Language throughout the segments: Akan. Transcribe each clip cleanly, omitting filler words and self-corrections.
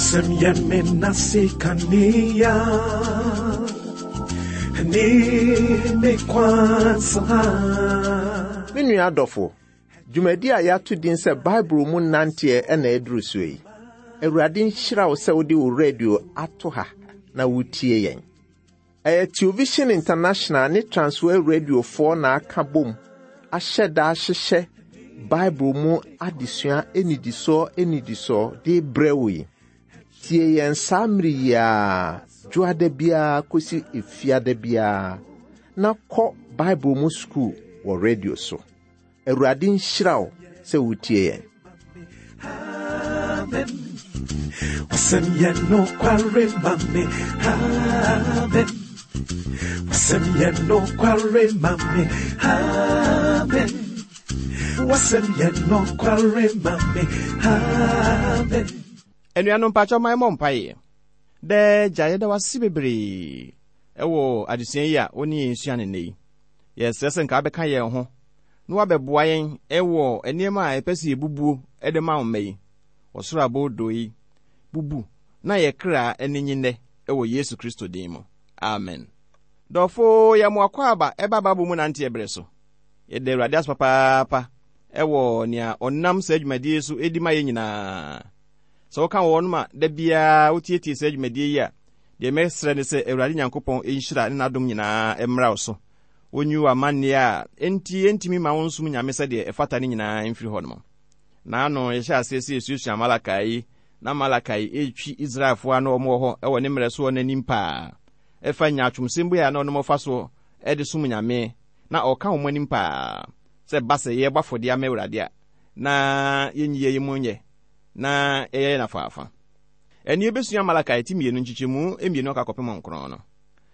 Wasɛm yɛ me nase kanea ne me kwan so ha. Me nua adɔfo, dwumadi a yɛato din sɛ Bible mu nanteɛ na aduru so yi. Awurade nhyira wo sɛ wode wo radio ato ha na wotie yɛn. Ɛyɛ Television International ne Transworld Radiofoɔ na aka bom ahyɛ da ahyehyɛ Bible mu adesua nnidisoɔ nnidisoɔ de brɛ wo yi. Tie yɛn saa mmere yi ara, dwoada biara kɔsi efiada biara, na kɔ Bible mu sukuu wɔ radio so. Awurade nhyira wo sɛ wotie yɛn. Amen. Wasɛm yɛ nokware ma me. Amen. Wasɛm yɛ nokware ma me. Amen. Wasɛm yɛ nokware ma me. Amen. Anuanom mpakyɛ ma yɛmmɔ mpaeɛ. Daa Agya, yɛda wo ase bebree wɔ adesua yi a wo ne yɛn sua no nnɛ yi. Yɛsrɛ sɛ nka wobɛka yɛn ho na woabɛboa yɛn wɔ nneɛma a yɛpɛ sɛ yɛbubuo de ma wo mma yi. Ɔsoro aboodoo yi, bubu na yɛ kra ani nye nnɛ wɔ Yesu Kristo din mu. Amen. Dɔfo, yɛ mo akwaaba ɛba Bible mu nanteɛ berɛ so. Yɛda Awurade ase papaapa wɔ nea ɔnam saa dwumadie yi so di ma yɛn nyinaa. Sɛ woka wɔnom a da biara wotietie saa dwumadie yi a, deɛ mɛsrɛ ne sɛ Awurade Nyankopɔn nhyira ne n'adom nyinaa mmra wo so. Onyi wo amanneɛ a enti entumi mma wonsom Nyame sɛdeɛ ɛfata no nyinaa mfiri hɔ nom. Naano yɛhyɛɛ aseɛ sɛ yɛsuasua Malakai yi, na Malakai retwi Israelfoɔ a na wɔn wɔ hɔ wɔ ne mmerɛ soɔ no anim paa ɛfa nyaatwomsɛm bi a na wɔnom fa soɔ de som Nyame, na ɔreka wɔn anim paa sɛ ɛba sɛ yɛrebɔ afɔdeɛ ama Awurade a, na yɛnyi yɛn mu nyɛ na yɛyɛ no afaafa. Ɛnne yɛbɛsua Malakai ti mmienu nkyekyɛmu mmienu akɔ akɔpem nkron no.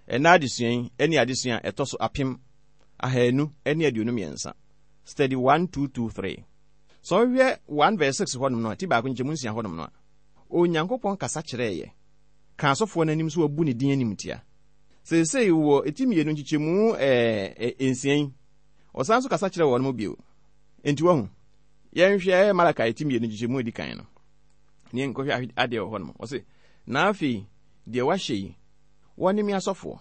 Ɛnnɛ adesua yi ne adesua a ɛtɔ so 1223. Study 1223. Sɛ wohwɛ 1 verse 6 hɔnom no a, ti baako nkyɛmu nsia hɔnom no a, Onyankopɔn kasa kyerɛɛ yɛ, kaa asɔfoɔ no anim sɛ wɔabu ne din animtia. Seesei wɔ ti mmienu nkyekyɛmu nsia yi, ɔsan nso kasa kyerɛ wɔn bio. Enti wahu, yɛnhwɛ Malakai ti mmienu nkyekyɛmu edi kan no, ne yɛnkɔhwɛ adeɛ wɔ hɔnom. Ɔse, na afei deɛ wahyɛ yi, Wɔne me asɔfoɔ.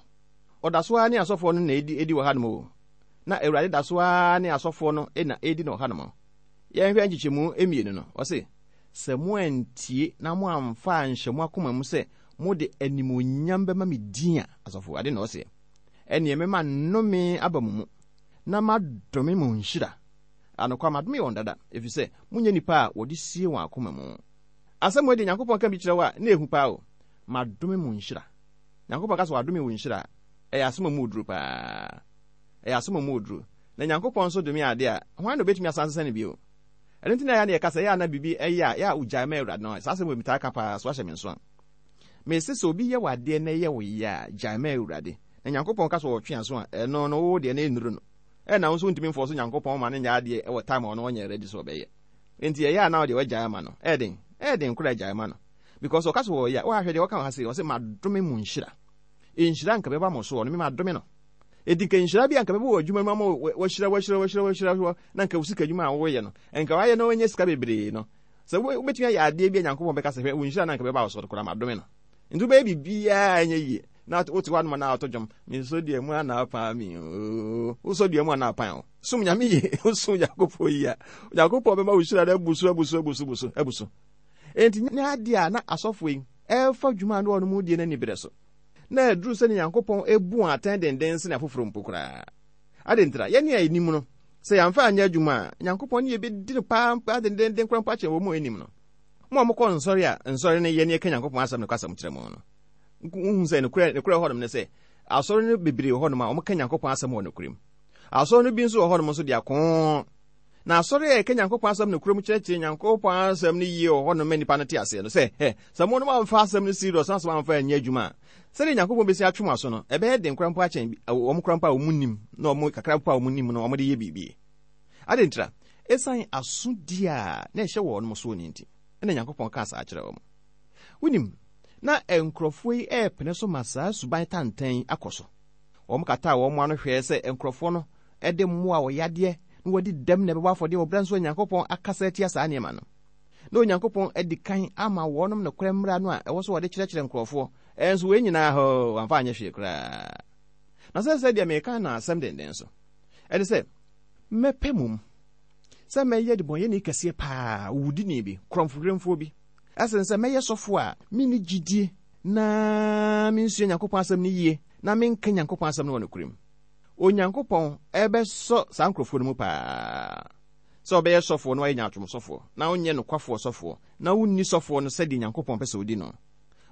Ɔda so ara ne asɔfoɔ no na ɛdi ɛdi wɔ hanom o. Na Awurade da so ara ne asɔfoɔ no na ɛredi no wɔ hanom. Yɛnhwɛ nkyekyɛmu mmienu no. Ɔse, Sɛ moantie na moamfa anhyɛ mo akoma mu sɛ mode animuonyam bɛma me din a, asɔfoɔ, ade na ɔseɛ, ɛnneɛ mɛma nnome aba mo mu, na madome mo nhyira. Anokwa, madome wɔn dada, ɛfiri sɛ monyɛ nnipa a wɔde sie wɔn akoma mu. Asɛm wei deɛ Nyankopɔn ka bi kyerɛ wo a, na ɛhu paa o. Madome mo nhyira. Nyankopɔn ka sɛ wadome wo nhyira a, ɛyɛ asɛm a emu wɔ duru paa. Ɛyɛ asɛm a emu wɔ duru. Na Nyankopɔn nso dome ade a, hwan na obetumi asan asesa no bio? Ɛno nti na ɛyɛ a na yɛka sɛ, ɛyɛ a na biribi yɛ a, ɛyɛ a ogyae ma Awurade no. Saa asɛm wei metaa ka paa, so ahyɛ me nso a. Mese sɛ obi yɛ wo adeɛ na ɛyɛ wo ya a, gyae ma Awurade. Na Nyankopɔn ka sɛ ɔretwe aso a, ɛno no wo deɛ no ɛnnuru no. Ɛna wo nso wontumi mfɔɔso Nyankopɔn ma no nyɛ adeɛ wɔ time a ɔno ɔnyɛ ready sɛ ɔbɛyɛ. Enti ɛyɛ a na wo deɛ wagyae ama no. Ɛyɛ den? Ɛyɛ den koraa gyae ma no. Because ɔka sɛ ɔyɛ a, woahwɛ deɛ ɔka wɔ ha sei, ɔse madome mo nhyira. Nhyira nka bɛba mo soɔ no, me madome no. Enti nka nhyira bi a nka bɛba wɔ adwuma mu ama wahyira, wahyira, wahyira, wahyira, na nka wo sika adwuma a woyɛ no, nka wayɛ na wanya sika bebree no. Sɛ wobɛtumi ayɛ adeɛ bi a Nyankopɔn bɛka sɛ hwɛ, wo nhyira na nka bɛba wo soɔ koraa madome no. Nti wobɛyɛ biribiara ɛnyɛ yie. Na wote hɔ anoma na ato dwom, mesɔ dua mu ana apaa me oo. Wosɔ dua mu ana apan o. Som Nyame yie, wosom Nyankopɔn yie a, Nyankopɔn bɛma wo nhyira no abu so, abu so, abu so, abu so, abu so. Enti nyɛ ade a na asɔfo yi refa dwuma a na wɔnom die no anibere so. Na aduru sɛ Nyankopɔn bu wɔn atɛn dennen sen afoforo mpo koraa. Adɛn ntira? Yɛn a yenim no, sɛ yɛamfa anyɛ adwuma a, Nyankopɔn ne yɛn bedi no paa dendeenden koraa mpo akyɛn wɔn a wɔnnim no. Mo a mokɔ nsɔre a nsɔre no yɛ ne yɛka Nyankopɔn asɛm nokwasɛm kyerɛ mo no, muhu sɛ nokorɛ nokorɛ wɔ hɔnom ne sɛ, asɔre no bebree wɔ hɔnom a wɔka Nyankopɔn asɛm wɔ nokorɛ mu. Asɔre no bi nso wɔ hɔnom nso de akoo. Na asɔre a ɛka Nyankopɔn asɛm nokorɛ mu kyerɛkyerɛ Nyankopɔn asɛm no yie wɔ hɔnom ma nnipa no te aseɛ no sɛ, hɛ, sɛ monom amfa asɛm no serious na sɛ moamfa anyɛ adwuma a, sɛdeɛ Nyankopɔn bɛsi atwe mo aso no, ɛbɛyɛ den koraa mpo akyɛn wɔn koraa mpo a wɔn nim na wɔn kakra mpo a wɔn nim no wɔde yɛ biribi. Adɛn ntira? Ɛsiane asodie a na ɛhyɛ wɔn soɔ no nti, ɛna Nyankopɔn kaa saa kyerɛɛ wɔn. Wonim, na nkurɔfoɔ yi repene so ma saa suban tantan yi akɔ so. Wɔkataa wɔn ano hwɛɛ sɛ nkurɔfoɔ no de mmoa a wɔyadeɛ na wɔadi dɛm na ɛbɛbɔ afɔdeɛ wɔ berɛ nso a Nyankopɔn akasa atia saa nneɛma no. Na Onyankopɔn adi kan ama wɔnom nokorɛ mmara no a ɛwɔ sɛ wɔde kyerɛkyerɛ nkurɔfoɔ, ɛnso wei nyinaa hoo, wɔamfa anyɛ hwee koraa. Na sɛ sɛ deɛ mereka no asɛm denden so, ɛne sɛ, mɛpɛ mmom sɛ mɛyɛ debɔnyɛni kɛseɛ paa, owudini bi, korɔmfowerɛmfoɔ bi, ɛsen sɛ mɛyɛ sɔfoɔ a menni gyidie na mensua Nyankopɔn asɛm no yie na menka Nyankopɔn asɛm no wɔ nokorɛ mu. Onyankopɔn bɛsɔ saa nkurɔfoɔ no mu paa sɛ ɔbɛyɛ sɔfoɔ na wayɛ nyaatwom sɔfoɔ na ɔnyɛ nokwafoɔ sɔfoɔ na wonni sɔfoɔ no sɛdeɛ Nyankopɔn pɛ sɛ ɔdi no.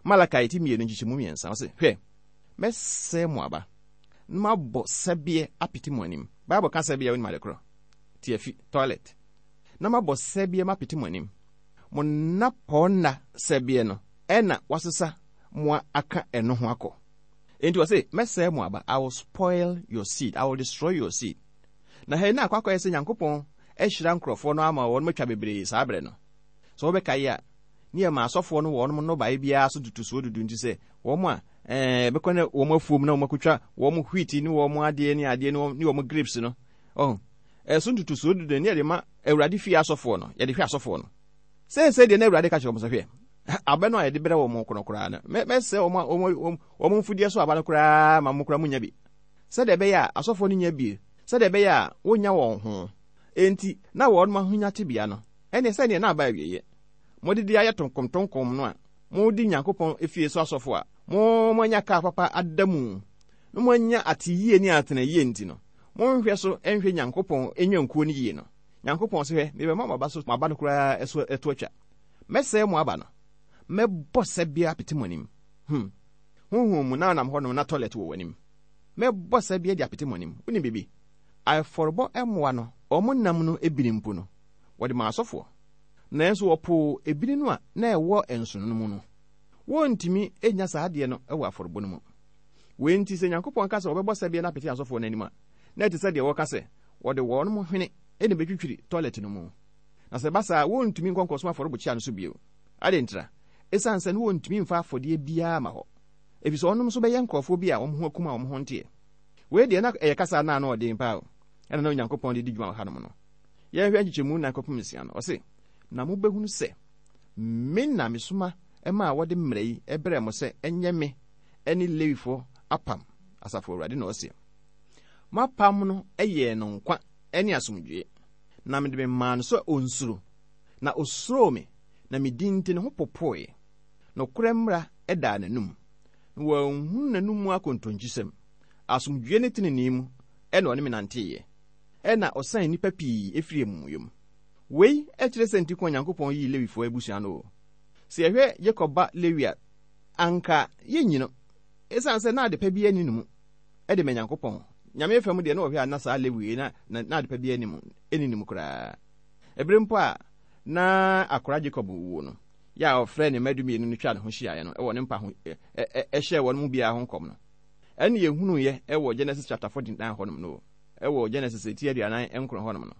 Malakai ti mmienu nkyekyɛmu mmiɛnsa, ɔse, Hwɛ, mɛsɛe mo aba, na mabɔ sɛbeɛ apete mo anim. Bible ka sɛbeɛ a wonim ade korɔ? Tiafi, toilet. Na mabɔ sɛbeɛ mapete mo anim. Mo nnapɔɔnna sɛbeɛ no ɛna wasesa mo aka ɛno ho akɔ. Enti ɔse, Mɛsɛe mo aba, I will spoil your seed, I will destroy your seed. Na hɛn na akɔ akɔyɛ sɛ Nyankopɔn ahyira nkorɔfoɔ no ama wɔnom atwa bebree saa berɛ no. Sɛ wobɛkae a, ne yɛma asɔfoɔ no wɔnom nnɔbaeɛ biara so ntotosoɔ dudu nti sɛ wɔn a ɛɛ bɛkɔ ne wɔn afuom na wɔn akɔtwa wɔn wheat ne wɔn adeɛ ne adeɛ ne wɔn ne wɔn grapes no, ɔho, ɛso ntotosoɔ dudu no ne yɛde ma Awurade fie asɔfoɔ no, yɛde hwɛ asɔfoɔ no. Seesei deɛ na Awurade ka kyerɛ wɔn sɛ, Hwɛ, abɛ no a yɛde brɛ wɔn ko no koraa no, mɛsɛe wɔn wɔn wɔn mfudeɛ so aba no koraa ma mo koraa monya bi, sɛdeɛ ɛbɛyɛ a asɔfoɔ no nya bi, sɛdeɛ ɛbɛyɛ a wɔnnya wɔn ho. Enti, na wɔn ahonya tebea no, ɛne sɛdeɛ na aba awieeɛ. Mode de ayɛ tonkomtonkom no a modi Nyankopɔn fie so asɔfo a mo moanya kaa papa ada mu na moanya ateyie ne atenayie nti no, monhwɛ so nhwɛ Nyankopɔn nnwankuo no yie no. Nyankopɔn se, Hwɛ, mebɛma mo aba so, mo aba no koraa so to atwa. Mɛsɛe mo aba no. Mɛbɔ sɛbeɛ apete mo anim. Hmm. Honhom mu na wonam hɔnom na tɔlɛt wɔ w'anim. Mɛbɔ sɛbeɛ de apete mo anim. Wonim biribi? Afɔrebɔ mmoa no, wɔn nam no ebini mpo no, wɔde maa asɔfoɔ. Nanso wɔpoo ebini no a na ɛwɔ nsono no mu no. Wɔrentumi nnya saa adeɛ no wɔ afɔrebɔ no mu. Wei nti, sɛ Nyankopɔn ka sɛ wɔbɛbɔ sɛbeɛ no apete asɔfoɔ no anim a, na ɛte sɛ deɛ wɔreka sɛ wɔde wɔn hwene na ɛbɛtwitwiri tɔlɛt no mu. Na sɛ ɛba saa a, wɔrentumi nkɔ nkɔsom afɔrebukyia no so bio. Adɛn ntira? Esiane sɛ na wɔrentumi mfa afɔdeɛ biara mma hɔ, efisɛ wɔnom nso bɛyɛ nkurɔfoɔ bi a wɔn ho akum a wɔn ho nteɛ. Wei deɛ, na ɛyɛ kasa a na ano ɔden paa o, ɛna na Onyankopɔn de di dwuma wɔ hanom no. Yɛnhwɛ nkyekyɛmu nnan kɔpem nsia no. Ɔse, Na mobɛhunu sɛ me na mesoma maa wɔde mmara yi brɛɛ mo sɛ ɛnyɛ me ne Lewifoɔ apam, Asafo Awurade na ɔseɛ. M'apam no yɛɛ no nkwa ne asomdwoeɛ, na mede memaa no sɛ ɔnsuro, na ɔsuroo me, na me din nti ne ho popoeɛ. Nokorɛ mmara daa n'anom, na wɔanhunu n'anom mu akontonkyisɛm. Asomdwoeɛ ne tenenee mu na ɔne me nanteeɛ, ɛnna ɔsan nnipa pii firii amumuyɔ mu. Wei kyerɛ sɛ nti ko a Nyankopɔn yii Lewifoɔ abusua no o. Sɛ yɛhwɛ Yakob ba Lewi a, anka yɛnyi no, esiane sɛ na adepa biara nni ne mu de ma Nyankopɔn. Nyame fam deɛ na ɔhwɛ a na saa Lewi yi na na adepa biara nni mu, nni ne mu koraa. Ɛberɛ mpo a na akora Jacob wuo no, yɛ a ɔfrɛɛ ne mma dumienu no twaa ne ho hyiaeɛ no wɔ ne mpa ho hyɛɛ wɔn mu biara ho nkɔm no, ɛne yɛhunuiɛ wɔ Genesis chapter 49 hɔnom no, wɔ Genesis ti 49 hɔnom no.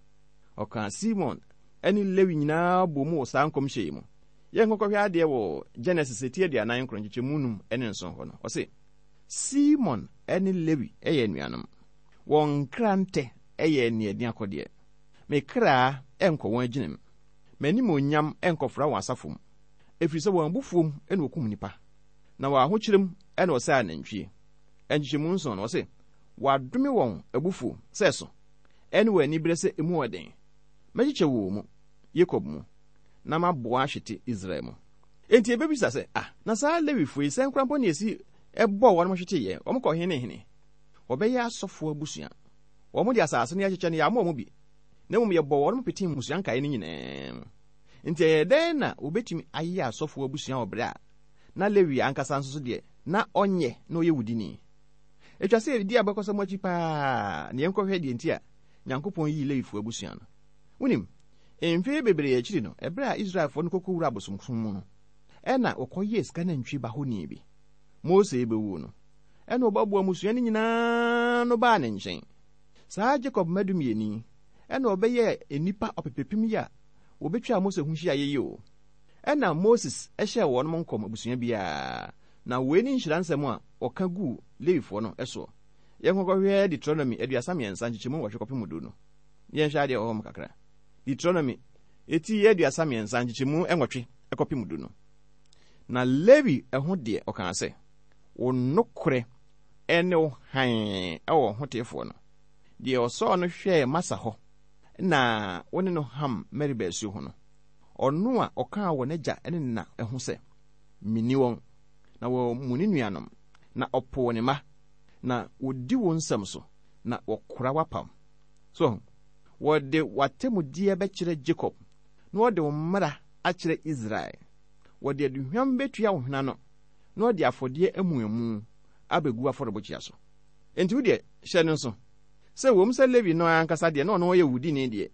Ɔkaa Simon ne Lewi nyinaa bɔ mu wɔ saa nkɔmhyɛ yi mu. Yɛnkɔkɔhwɛ adeɛ wɔ Genesis ti 49 nkyekyɛmu num ne nson hɔ no. Ɔse, Simon ne Lewi yɛ anuanom. Wɔn nkrantɛ yɛ aniɛden akɔdeɛ. Me kra nkɔ wɔn agyina mu. M'animuonyam nkɔfra wɔn asafo mu. Ɛfiri sɛ wɔn abufuo mu na wɔkum nnipa, na wɔn ahokyerɛ mu na wɔsɛe anantwie. Nkyekyɛmu nson no, ɔse, Wɔadome wɔn abufuo sɛ ɛso, ɛne wɔn aniberɛ sɛ emu yɛ den. Mɛkyekyɛ wɔn mu, Yakob mu, na maboa ahwete Israel mu. Enti yɛbɛbisa sɛ, Ah, na saa Lewifoɔ yi, sɛn koraa mpo na yɛsi bɔɔ wɔn hweteeɛ? Wɔkɔ he ne hene? Wɔbɛyɛ asɔfoɔ abusua. Wɔn de asase no yɛakyekyɛ no, yɛammɔ wɔn bi, na mmom yɛbɔɔ wɔn petee mmusua nkaeɛ no nyinaa mu. Enti ɛyɛɛ dɛn na wɔbɛtumi ayɛ asɔfoɔ abusua wɔ berɛ a na Lewi ankasa nso so deɛ, na ɔnyɛ na ɔyɛ wudini? Ɛtwa sɛ yɛdi abakɔsɛm akyi paa na yɛnkɔhwɛ deɛ nti a Nyankopɔn yii Lewifoɔ abusua no. Wonim, mfe bebree akyiri no, ɛberɛ a Israelfoɔ no kɔkɔwura abosomsom mu no, ɛna wɔkɔyɛɛ sika nantwie ba honi bi. Mose rebɛwuo no, ɛna ɔboaboaa mmusua no nyinaa ano baa ne nkyɛn. Saa Jacob mma dumienu yi, ɛna wɔbɛyɛɛ nnipa ɔpepepem yi a wɔbɛtwaa Mose ho hyiaeɛ yi o. Ɛna Moses hyɛɛ wɔnom nkɔm abusua biara, na wei ne nhyira nsɛm a ɔka guu Lewifoɔ no soɔ. Yɛnkɔkɔhwɛ Deuteronomy 33 nkyekyɛmu nwɔtwe kɔpem du no. Yɛnhwɛ adeɛ wɔ hɔ nom kakra. Deuteronomy Eti 33 nkyekyɛmu 8 kɔpem 10 no. Na Lewi ho deɛ, ɔkaa sɛ, Wo nokorɛ ne wo hann wɔ ɔhoteefoɔ no, deɛ ɔsɔɔ no hwɛɛ Masa hɔ na wo ne no ham Meriba asuo ho no, ɔno a ɔkaa wɔ n'agya ne ne na ho sɛ, Menni wɔn, na wɔammu ne nuanom, na ɔpoo ne mma, na wɔdi wo nsɛm so, na wɔkora w'apam. So ahu? Wɔde w'atemmudeɛ bɛkyerɛ Jakob, na wɔde wo mmara akyerɛ Israel. Wɔde aduhwam bɛtua wo hwene ano, na wɔde afɔdeɛ amuamu abɛgu w'afɔrebukyia so. Enti wo deɛ, hyɛ no nso, sɛ ɛwom sɛ Lewi no ara ankasa deɛ, na ɔno ɔyɛ wudini deɛ,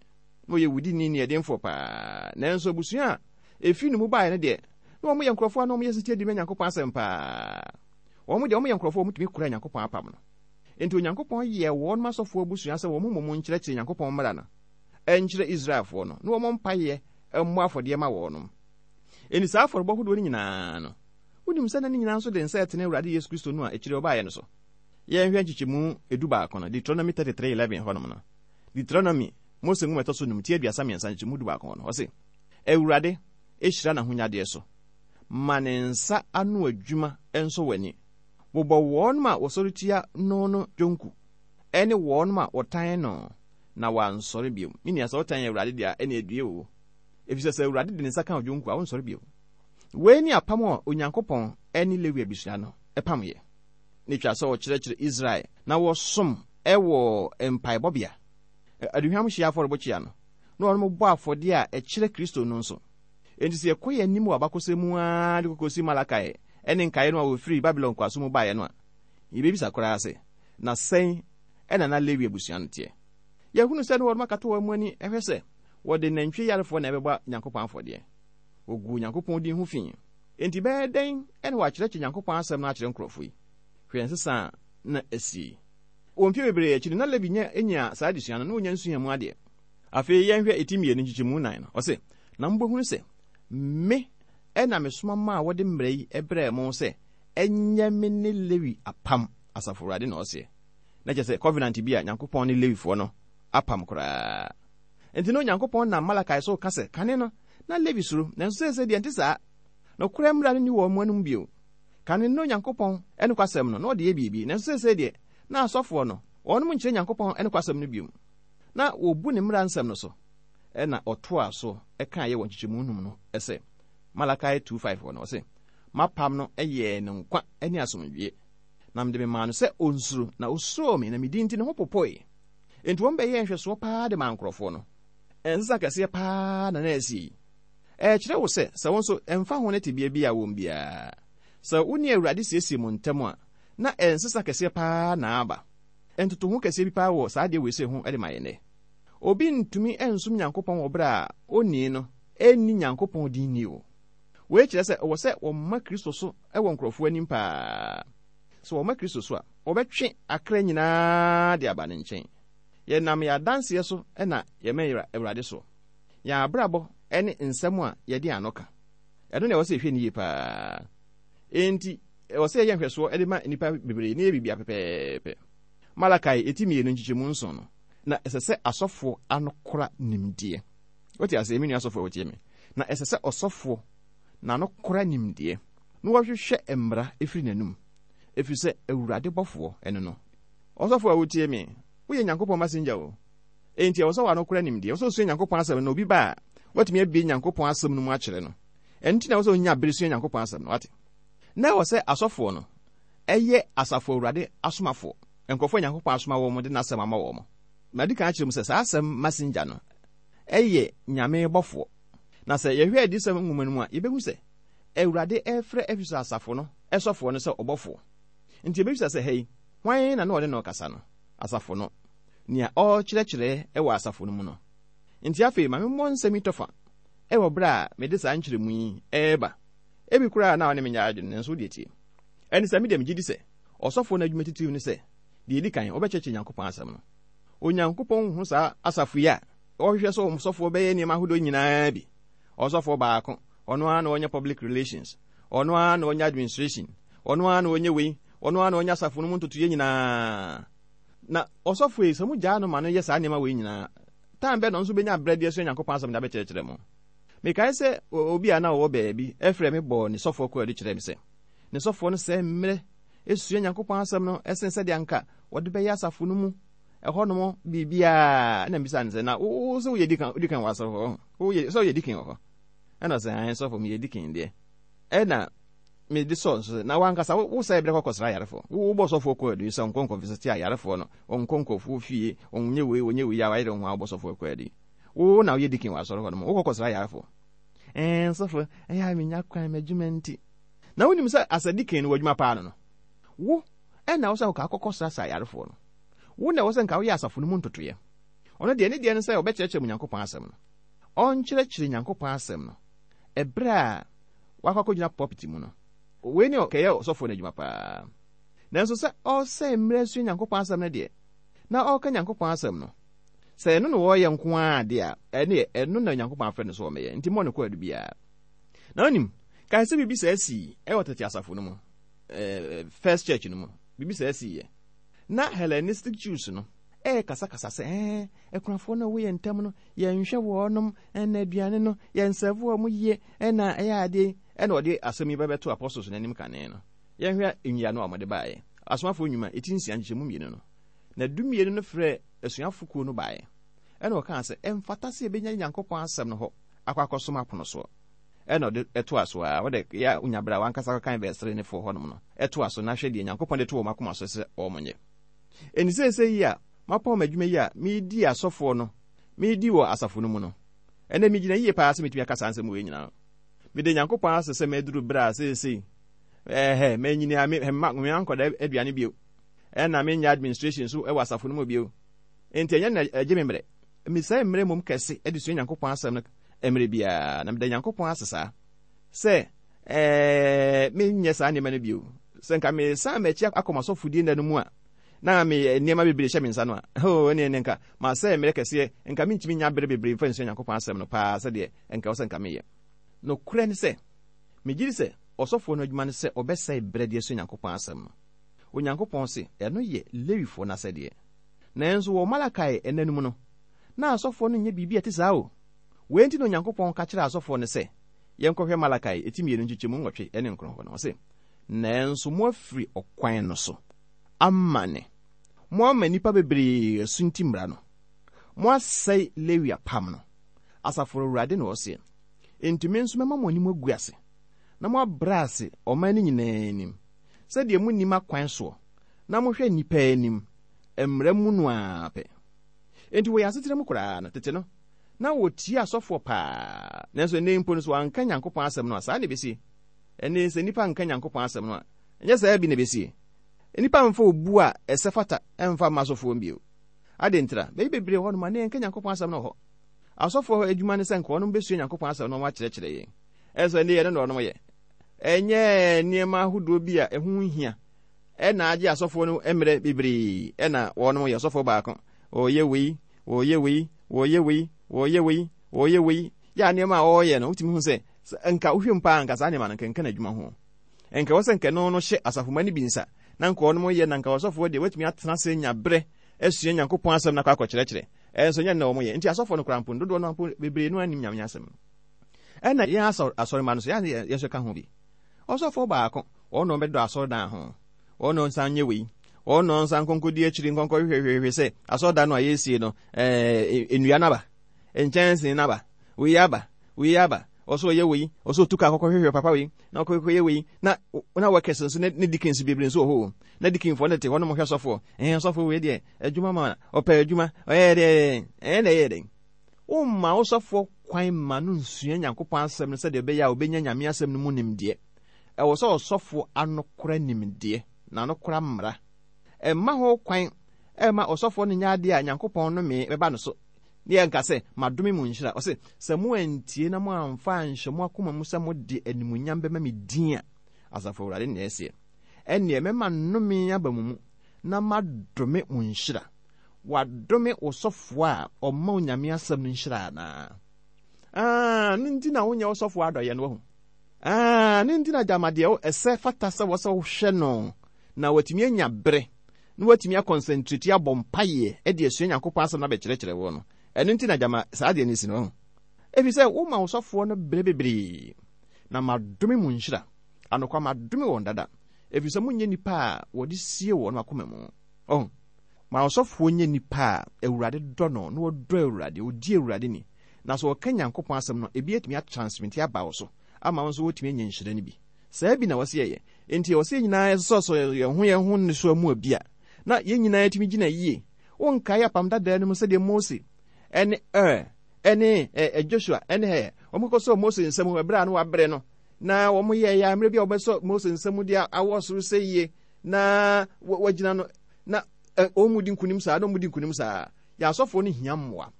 na ɔyɛ wudini nniɛdenfoɔ paa, nanso abusua a ɛfiri ne mu baeɛ no deɛ, na wɔyɛ nkurɔfoɔ a na wɔyɛ setie de ma Nyankopɔn asɛm paa. Wɔn deɛ, wɔyɛ nkurɔfoɔ a wɔtumi kora Nyankopɔn apam no. Enti Onyankopɔn yɛɛ wɔn asɔfoɔ abusua sɛ wɔn mmom nkyerɛkyerɛ Nyankopɔn mmara no nkyerɛ Israelfoɔ no, na wɔmmɔ mpaeɛ mmɔ afɔdeɛ ma wɔnom. Enti saa afɔrebɔ hodoɔ no nyinaa no, wonim sɛ na ne nyinaa nso de nsa ɛtene Awurade Yesu Kristo no a akyire ɔbaeɛ no so. Yɛnhwɛ nkyekyɛmu edubaako no, Deuteronomy 33:11 hɔnom no. Deuteronomy, Mose nwoma ɛtɔ so num, ti 33 nkyekyɛmu dubaako hɔ no, ɔse, Awurade hyira n'ahonyadeɛ so, ma ne nsa ano adwuma nsɔ w'ani. Bobɔ wɔn a wɔsɔre tia no no dwonku, ne wɔn a wɔtan no, na wɔansɔre bio. Me nua, sɛ wotan Awurade deɛ a, ɛnneɛ due o. Efisɛ sɛ Awurade de ne nsa ka wo dwonku a, wonsɔre bio. Wei ne apam a Onyankopɔn ne Lewi abusua no pameeɛ. Na etwa sɛ wɔkyerɛkyerɛ Israel na wɔsom wɔ mpaebɔbea, aduhwam hyeɛ afɔrebukyia no, na wɔbɔ afɔdeɛ a ɛkyerɛ Kristo no nso. Enti sɛ yɛkɔ yɛn anim wɔ abakɔsɛm mu ara de kɔkɔsi Malakai ne nkaeɛ no a wɔfirii Babilon nkoasom mu baeɛ no a, yɛbɛbisa koraa sɛ, Na sɛn na na Lewi abusua no teɛ? Yɛhunu sɛ na wɔnom akata wɔn ani hwɛ sɛ wɔde nantwie yarefoɔ na ɛbɛbɔ Nyankopɔn afɔdeɛ. Wɔguu Nyankopɔn din ho fi. Enti ɛbɛyɛ dɛn na wɔakyerɛkyerɛ Nyankopɔn asɛm no akyerɛ nkurɔfo yi? Hwɛ nsesa a na asi yi. Wɔ mfe bebree akyi no, na Levi nya nyaa saa adesua no, na onya nsuaa mu adeɛ. Afei yɛnhwɛ eti mmienu nkyekyɛmu nnan no. Ɔse, Na mobɛhunu sɛ me na mesoma maa wɔde mmara yi brɛɛ mo sɛ ɛnyɛ me ne Lewi apam, Asafo Awurade na ɔseɛ. Na kyerɛ sɛ covenant bi a Nyankopɔn ne Lewifoɔ no apam koraa. Enti na Onyankopɔn nam Malakai so reka sɛ, kane no, na Lewi suro, nanso seesei deɛ ɛnte saa. Nokorɛ mmara no nni wɔn anom bio. Kane no na Onyankopɔn nokwasɛm no, na wɔde yɛ biribi, nanso seesei deɛ, na asɔfoɔ no, wɔnom nkyerɛ Nyankopɔn nokwasɛm no bio. Na wɔbu ne mmara nsɛm no so. Ɛnna ɔtoaa so kaeɛ wɔ nkyekyɛmu num no sɛ, Malakai 2:5 hɔ no, ɔse, M'apam no yɛɛ no nkwa ne asomdwoeɛ, na mede memaa no sɛ ɔnsuro, na ɔsuroo me, na me din nti ne ho popoe. Enti wɔn bɛyɛɛ nhwɛsoɔ paa de maa nkurɔfoɔ no. Nsesa kɛseɛ paa na na asi yi. Ɛrekyerɛ wo sɛ, sɛ wo nso, ɛmfa ho ne tebea bi a wom biara, sɛ wo ne Awurade siesie mo ntam a, na nsesa kɛseɛ paa na aba. Ntotoho kɛseɛ bi paa wɔ saa adeɛ wei sei ho de ma yɛn nnɛ. Obi ntumi nsom Nyankopɔn wɔ berɛ a onii no nni Nyankopɔn din ni o. Wei kyerɛ sɛ ɛwɔ sɛ wɔma Kristo so wɔ nkurɔfoɔ anim paa. Sɛ wɔma Kristo so a, wɔbɛtwe akra nyinaa de aba ne nkyɛn. Yɛnam yɛn adanseɛ so na yɛma Awurade soɔ. Yɛn abrabɔ ne nsɛm a yɛde yɛn ano ka, ɛno na ɛwɔ sɛ yɛhwɛ no yie paa. Enti, ɛwɔ sɛ yɛyɛ nhwɛsoɔ de ma nnipa bebree na yɛyɛ biribiara pɛpɛɛpɛ. Malakai eti mmienu nkyekyɛmu nson no, na ɛsɛ sɛ asɔfoɔ ano kora nimdeɛ. Wote aseɛ, me nua asɔfoɔ a wotie me? Na ɛsɛ sɛ ɔsɔfoɔ n'ano kora nimdeɛ, na wɔhwehwɛ mmara firi n'anum, ɛfiri sɛ Awurade bɔfoɔ ne no. Ɔsɔfoɔ a wotie me, woyɛ Nyankopɔn massenger o. Enti ɛwɔ sɛ w'ano kora nimdeɛ. Ɛwɔ sɛ osua Nyankopɔn asɛm no, na obi ba a, watumi abue Nyankopɔn asɛm no mu akyerɛ no. Ɛno nti na ɛwɔ sɛ onya bere sua Nyankopɔn asɛm no, wate? Na ɛwɔ sɛ asɔfoɔ no yɛ Asafo Awurade asomafoɔ, nkurɔfoɔ a Nyankopɔn asoma wɔn de n'asɛm ama wɔn. Madi kan akyerɛ mu sɛ saa asɛm messenger no yɛ Nyame bɔfoɔ. Na sɛ yɛhwɛ Adiyisɛm nwoma no mu a, yɛbɛhu sɛ Awurade refrɛ Efeso asafo no sɔfoɔ no sɛ ɔbɔfoɔ. Nti yɛbɛbisa sɛ, ha yi, hwan na na ɔne no rekasa no? Asafo no. Nea ɔrekyerɛkyerɛ wɔ asafo no mu no. Nti afei ma memmɔ nsɛm yi tɔfa wɔ berɛ a mede saa nkyerɛmu yi reba. Ebi koraa na wo ne me nyɛ adwene, nanso wo deɛ tie. Ɛne sɛ, me deɛ megye di sɛ ɔsɔfoɔ no adwuma titiriw ne sɛ, deɛ ɛdi kan, ɔbɛkyerɛkyerɛ Nyankopɔn asɛm no. Onyankopɔn hu saa asafo yi a wɔhwehwɛ sɛ wɔn sɔfoɔ bɛyɛ nneɛma ahodoɔ nyinaa bi. Ɔsɔfoɔ baako, ɔno ara na ɔnyɛ public relations, ɔno ara na ɔnyɛ administration, ɔno ara na ɔnyɛ wei, ɔno ara na ɔnyɛ asafo no mu ntotoeɛ nyinaa. Na ɔsɔfoɔ yi, sɛ mogyaa no ma no yɛ saa nneɛma wei nyinaa, Time bɛn na ɔno nso bɛnya berɛ de asua Nyankopɔn asɛm de abɛkyerɛkyerɛ mo? Mekae sɛ obi a na ɔwɔ baabi frɛɛ me bɔɔ ne sɔfoɔ kwaadu kyerɛɛ me sɛ, ne sɔfoɔ no sɛe mmerɛ sua Nyankopɔn asɛm no sen sɛdeɛ anka wɔde bɛyɛ asafo no mu ɛhɔnom biribiara. Ɛna mebisaa no sɛ, na wo sɛ woyɛ deacon deacon wɔ asɔre hɔ? Woyɛ sɛ woyɛ deacon wɔ hɔ? Ɛna ɔsɛ, ae sɔfo, meyɛ deacon deɛ. Ɛna mede sɔɔ nso sɛ, na wankasa wo sɛe berɛ kɔkɔsra ayarefoɔ. Wobɔ sɔfoɔ kwaadu sɛ ɔnkɔ nkɔvisite ayarefoɔ no, ɔnkɔ nkurɔfoɔ fie, ɔnyɛ wei, ɔnyɛ wei a wayere ho a wobɔ sɔfoɔ kwaadu yi. Wo na woyɛ deacon wɔ asɔre hɔ nom, wokɔ kɔsra ayarefoɔ. Ɛɛ, sɔfo, ɛyɛ a menya kwan m'adwuma nti. Na wonim sɛ as a deacon no w'adwuma paa no no, wo ɛna wo sɛ nka akɔkɔsrasra ayarefoɔ no. Wo na ɛwɔ sɛ nka woyɛ asafo no mu ntotoeɛ. Ɔno deɛ ne deɛ ne sɛ ɔbɛkyerɛkyerɛ mo Nyankopɔn asɛm no. Ɔnkyerɛkyerɛ Nyankopɔn asɛm no ɛberɛ a wakɔ akɔgyina pulpit mu no. Wei ne ɔkɛyɛ ɔsɔfoɔ no adwuma paa. Nanso sɛ ɔresɛe mmerɛ asua Nyankopɔn asɛm no deɛ, na ɔreka Nyankopɔn asɛm no, sɛ ɛno na ɔreyɛ nko ara deɛ a, ɛneɛ ɛno na Onyankopɔn afrɛ no sɛ ɔmmɛyɛ. Nti mmɔ no kwaadu biara. Na wonim, kae sɛ biribi saa sii wɔ tete asafo no mu, First Church no mu, biribi saa siiɛ. Na Hellenistic Jews no ɛrekasakasa sɛ, ɛɛ, akunafoɔ no a wɔwɔ yɛn ntam no, yɛnhwɛ wɔnom, ɛna aduane no, yɛnsɛvo wɔn yie, ɛna ɛyɛ adeɛ. Ɛna wɔde asɛm yi bɛbɛto apostles no anim kane no. Yɛnhwɛ nyiano a wɔde baeɛ. Asomafoɔ Nnwuma, eti nsia, nkyekyɛmu mmienu no. Na dummienu no frɛɛ asuafo kuo no baeɛ, ɛna wɔkaa sɛ, Ɛmfata sɛ yɛbɛnya Nyankopɔn asɛm no hɔ akɔ akɔsom apono soɔ. Ɛna ɔde toa so ara, wode yɛ a wonya berɛ a w'ankasa kɔkan verse 3 ne 4 hɔnom no, toa so na hwɛ deɛ Nyankopɔn de to wɔn akoma so sɛ wɔnyɛ. Enti seesei yi a mapɔn m'adwuma yi a meredi asɔfoɔ no, meredi wɔ asafo no mu no, ɛnnɛ megyina yie paa sɛ mɛtumi aka saa nsɛm wei nyinaa. Meda Nyankopɔn ase sɛ maduru berɛ a seesei, ɛhɛ, manyini a me, mma, me ankɔda aduane bio, ɛna menyɛ administration nso wɔ asafo no mu bio. Enti ɛnyɛ na ɛgye me mmerɛ. Mesɛe mmerɛ mmom kɛse de sua Nyankopɔn asɛm no mmerɛ biara, na meda Nyankopɔn ase saa sɛ ɛɛ menyɛ saa nneɛma no bio. Sɛ nka mesan m'akyi akɔ m'asɔfodie nna no mu a, na me nneɛma bebree hyɛ me nsa no a, oh, ɛneɛ ne nka masɛe mmerɛ kɛseɛ, nka mentumi nya berɛ bebree mfa nsua Nyankopɔn asɛm no paa sɛdeɛ nka ɛwɔ sɛ nka meyɛ. Nokorɛ ne sɛ, megye di sɛ ɔsɔfoɔ no adwuma ne sɛ ɔbɛsɛe berɛ de asua Nyankopɔn asɛm no. Onyankopɔn se ɛno yɛ Lewifoɔ no asɛdeɛ. Nanso wɔ Malakai nna no mu no, na asɔfoɔ no nyɛ biribi a ɛte saa o. Wei nti na Onyankopɔn ka kyerɛɛ asɔfoɔ no sɛ, yɛnkɔhwɛ Malakai eti mmienu nkyekyɛmu nwɔtwe ne nkron hɔ no, ɔse, Nanso moafiri ɔkwan no so amane, moama nnipa bebree asunti mmara no, moasɛe Lewi apam no, Asafo Awurade na ɔseɛ. Enti me nso mɛma mo anim agu ase, na moabrɛ ase ɔman no nyinaa anim, sɛdeɛ monni m'akwan soɔ, na mohwɛ nnipa anim, mmara mu no ara pɛ. Enti wɔ yɛn asetena mu koraa no, tete no, na wɔtie asɔfoɔ paa. Nanso ɛnnɛ yi mpo no, sɛ wɔanka Nyankopɔn asɛm no a, saa na ɛbɛsie. Ɛnnɛ yi, sɛ nnipa nka Nyankopɔn asɛm no a, ɛnyɛ saa bi na ɛbɛsie. Nnipa mfa obu a ɛsɛ fata mfa mma asɔfoɔ bio. Adɛn ntira? Baabi bebree wɔ hɔnom a, na yɛnka Nyankopɔn asɛm no wɔ hɔ. Asɔfoɔ adwuma ne sɛ nka wɔnom bɛsua Nyankopɔn asɛm na wɔakyerɛkyerɛ yɛn. Ɛnso ɛnnɛ yi, ɛno na wɔnom yɛ. Ɛnyɛ nneɛma ahodoɔ bi a ɛho nhia ɛna agye asɔfoɔ no mmerɛ bebree ɛna wɔnom yɛ ɔsɔfoɔ baako wɔyɛ wei wɔyɛ wei wɔyɛ wei wɔyɛ wei wɔyɛ wei yɛ a nneɛma a wɔyɛ no wotumi hu sɛ nka wohwɛ mu paa nka saa nneɛma no nka nka n'adwuma ho nka wɔ sɛ nka no no hyɛ asafomma no bi nsa na nka wɔnom yɛ na nka ɔsɔfoɔ deɛ watumi atena ase nya berɛ asua Nyankopɔn asɛm no akɔ akɔkyerɛkyerɛ ɛnso nyɛ na wɔn yɛ nti asɔfoɔ no koraa mpo dodoɔ no mpo bebree no anim Nyame asɛm no ɛna yɛn asɔremma no so yɛn nso ka ho bi Ɔsɔfoɔ baako, wɔn na wɔbɛdɔ asɔredan ho, wɔn na wɔnsan nyɛ wei, wɔn na wɔnsan nkɔnkɔdi akyiri nkɔnkɔhwehwɛhwehwɛ sɛ asɔredan no a yɛresie no, ɛɛ nnua no aba, nkyɛnsee no aba, wei aba, wei aba, ɔsɛ ɔyɛ wei, ɔsɛ ɔtu kaa kɔkɔhwehwɛ papa wei, na ɔkɔkɔyɛ wei, na na workers nso ne ne deacons bebree nso wɔ hɔ o, na deaconfoɔ no te hɔ no mo hwɛ sɔfoɔ, ɛɛ sɔfoɔ wei deɛ adwuma ma ɔpɛ adwuma, ɔyɛ deɛ ɛɛ na ɛyɛ dɛn. Womma wo sɔfoɔ kwan mma no nsua Nyankopɔn asɛm no sɛdeɛ ɛbɛyɛ a ɔbɛnya Nyame asɛm no mu nimdeɛ. Ɛwɔ sɛ ɔsɔfoɔ ano kora nimdeɛ, na ano kora mmara. Mma ho kwan mma ɔsɔfoɔ no nyɛ adeɛ a Nyankopɔn nomee bɛba no so, ne yɛnka sɛ, Madome mo nhyira. Ɔse, Sɛ moantie na moamfa anhyɛ mo akoma mu sɛ mode animuonyam bɛma me din a, Asafo Awurade na ɛseɛ, ɛnneɛ mɛma nnome aba mo mu, na madome mo nhyira. Wɔadome wo sɔfoɔ a ɔma Onyame asɛm no nhyira anaa? Ah, no nti na wonyɛ wo sɔfoɔ adɔyɛ no, wahu. Ah, no nti na gyama deɛ ɛsɛ fata sɛ wɔ sɛ wohwɛ no na watumi anya bere na watumi akɔnsɛntreti abɔ mpaeɛ de asua Nyankopɔn asɛm no abɛkyerɛkyerɛ wo no. Ɛno nti na gyama saa adeɛ no si no, wahu. Ɛfiri sɛ woma wo sɔfoɔ no berɛ bebree, na madome mo nhyira. Anokwa madome wɔn dada, ɛfiri sɛ monyɛ nnipa a wɔde sie wɔn akoma mu. Ɔho, ma ɔsɔfoɔ nyɛ nipa a Awurade dɔ no na ɔdɔ Awurade, ɔdi Awurade ni, na sɛ ɔka Nyankopɔn asɛm no, ebi atumi atransmiti aba wo so ama wo nso woatumi anya nhyira no bi. Saa bi na ɛwɔ sɛ yɛyɛ. Enti ɛwɔ sɛ yɛn nyinaa yɛsosɔsosɔ yɛn ho yɛn ho nnesoa mu bi a, na yɛn nyinaa yɛtumi gyina yie. Wonkae Apam Dadaa no mu sɛdeɛ Mose ne Ur ne Joshua ne Hur, wɔkɔsɔɔ Mose nsa mu ɛberɛ a na wabrɛ no, na wɔyɛeɛ a mmerɛ bi a wɔbɛsɔ Mose nsa mu de awɔ soro sɛ yie, na wɔagyina no, na wɔn mu di nkunim saa, na wɔn mu di nkunim saa. Yɛn asɔfoɔ no hia mmoa.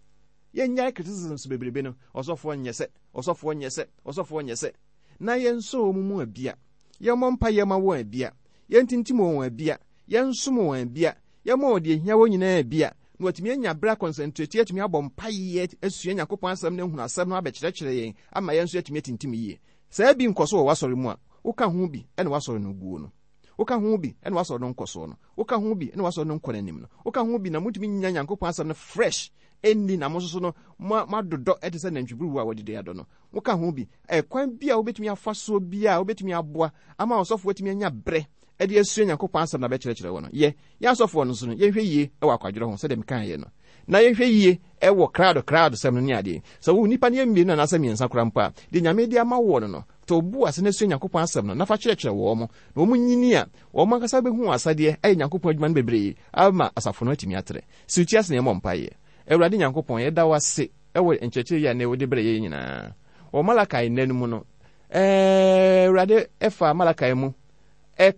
Yɛnnyae criticisms bebrebe no, ɔsɔfoɔ nyɛ sɛ, ɔsɔfoɔ nyɛ sɛ, ɔsɔfoɔ nyɛ sɛ. Na yɛnsɔ wɔn mu abia. Yɛmmɔ mpaeɛ ma wɔn abia. Yɛntintim wɔn abia. Yɛnsom wɔn abia. Yɛmma wɔn deɛ ɛhia wɔn nyinaa abia. Na wɔatumi anya berɛ akɔnsɛntreti atumi abɔ mpaeɛ asua Nyankopɔn asɛm no ahunu asɛm no abɛkyerɛkyerɛ yɛn ama yɛn nso yɛatumi atintim yie. Saa bi nkɔ so wɔ w'asɔre mu a, woka ho bi na w'asɔre no guo no. Woka ho bi na w'asɔre no nkɔsoɔ no. Woka ho bi na w'asɔre no nkɔ n'anim no. Woka ho bi na montumi nnya Nyankopɔn asɛm no fresh nni na mo nso so no moadodɔ te sɛ nantwiburuwa a wɔadidi adɔ no. Woka ho bi. Ɛkwan bi a wobɛtumi afa soɔ biara a wobɛtumi aboa ama ɔsɔfoɔ atumi anya berɛ de asua Nyankopɔn asɛm na abɛkyerɛkyerɛ wo no, yɛ. Yɛn asɔfoɔ no nso no, yɛnhwɛ yie wɔ akwadworɔ ho sɛdeɛ mekaeɛ no. Na yɛnhwɛ yie wɔ krado krado sɛm no ne adeɛ. Sɛ wo nnipa no yɛ mmienu anaasɛ mmiɛnsa koraa mpo a, deɛ Nyame de ama woɔ no no, tɔ wo bo ase na sua Nyankopɔn asɛm no na fa kyerɛkyerɛ wɔn. Na wɔn nyini a, wɔn ankasa bɛhu wɔn asɛdeɛ ayɛ Nyankopɔn adwuma no bebree ama asafo no atumi atrɛ. Si wo ti ase na yɛmmɔ mpaeɛ. Awurade Nyankopɔn, yɛda wo ase wɔ nkyerɛkyerɛ yi a nnɛ wode brɛ yɛn nyinaa. Wɔ Malakai nna no mu no, Awurade faa Malakai mu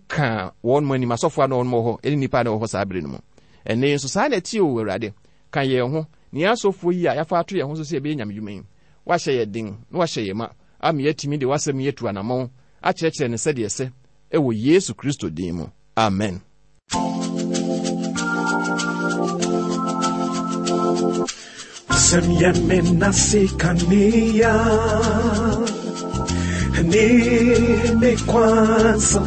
kaa wɔn anim asɔfoɔ a na wɔn wɔ hɔ ne nnipa a na wɔwɔ hɔ saa bere no mu. Ɛnnɛ yi nso saa na ɛte o, Awurade, ka yɛn ho, ne yɛn asɔfoɔ yi a yɛafa ato yɛn ho so sɛ yɛbɛyɛ nyamedwuma yi. Woahyɛ yɛn den na woahyɛ yɛn ma ama yɛatumi de w'asɛm yi atu anammɔn akyerɛkyerɛ no sɛdeɛ ɛsɛ wɔ Yesu Kristo din mu. Amen. Wasɛm yɛ me nase kanea ne me kwansa.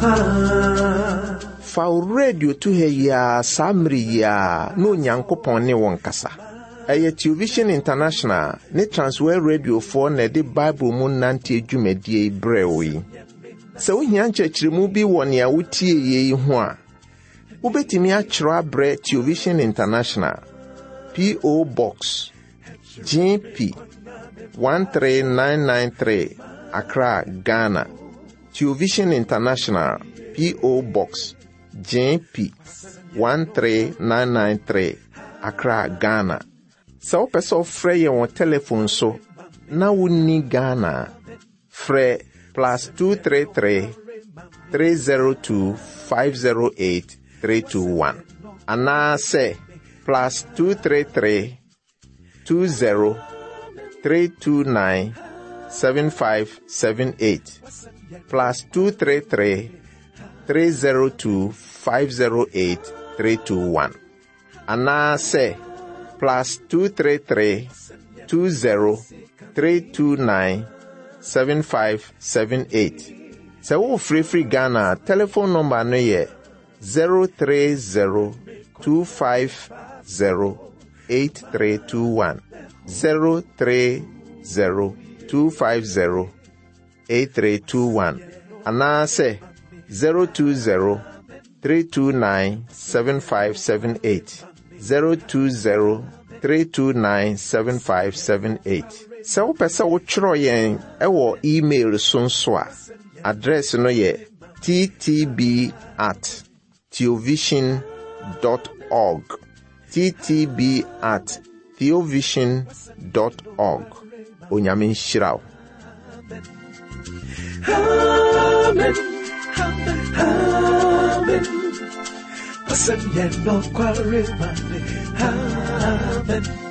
Fa wo radio to ha yi ara saa mmere yi ara na Onyankopɔn ne wo nkasa. Ɛyɛ Television International ne Transworld Radiofoɔ na ɛde Bible mu nanteɛ dwumadie yi brɛɛ wo yi. Sɛ wohia nkyerɛkyerɛmu bi wɔ nea wotieeɛ yi ho a, wobɛtumi atwerɛ abrɛ Television International, P.O. Box, GP 13993, Accra, Ghana. Television International, P.O. Box, GP 13993, Accra, Ghana. Sɛ wopɛ sɛ wofrɛ yɛn wɔ telefon so na wonni Ghana a, Frɛ plus 233 302 508 321 anaasɛ plus 233 20 329 7578 plus 233 302 508 321 anaasɛ plus 233 20 329 7578. Sɛ worefrɛ firi Ghana a, telefon nɔmba no yɛ 030 250 8321. 030 250 8321 anaasɛ 020 329 7578 020 329 7578. Sɛ wopɛ sɛ wotwerɛ yɛn wɔ email so nso a, address no yɛ ttb at theovision dot org ttb at theovision dot org Onyame nhyira wo. Amen. Amen. Amen.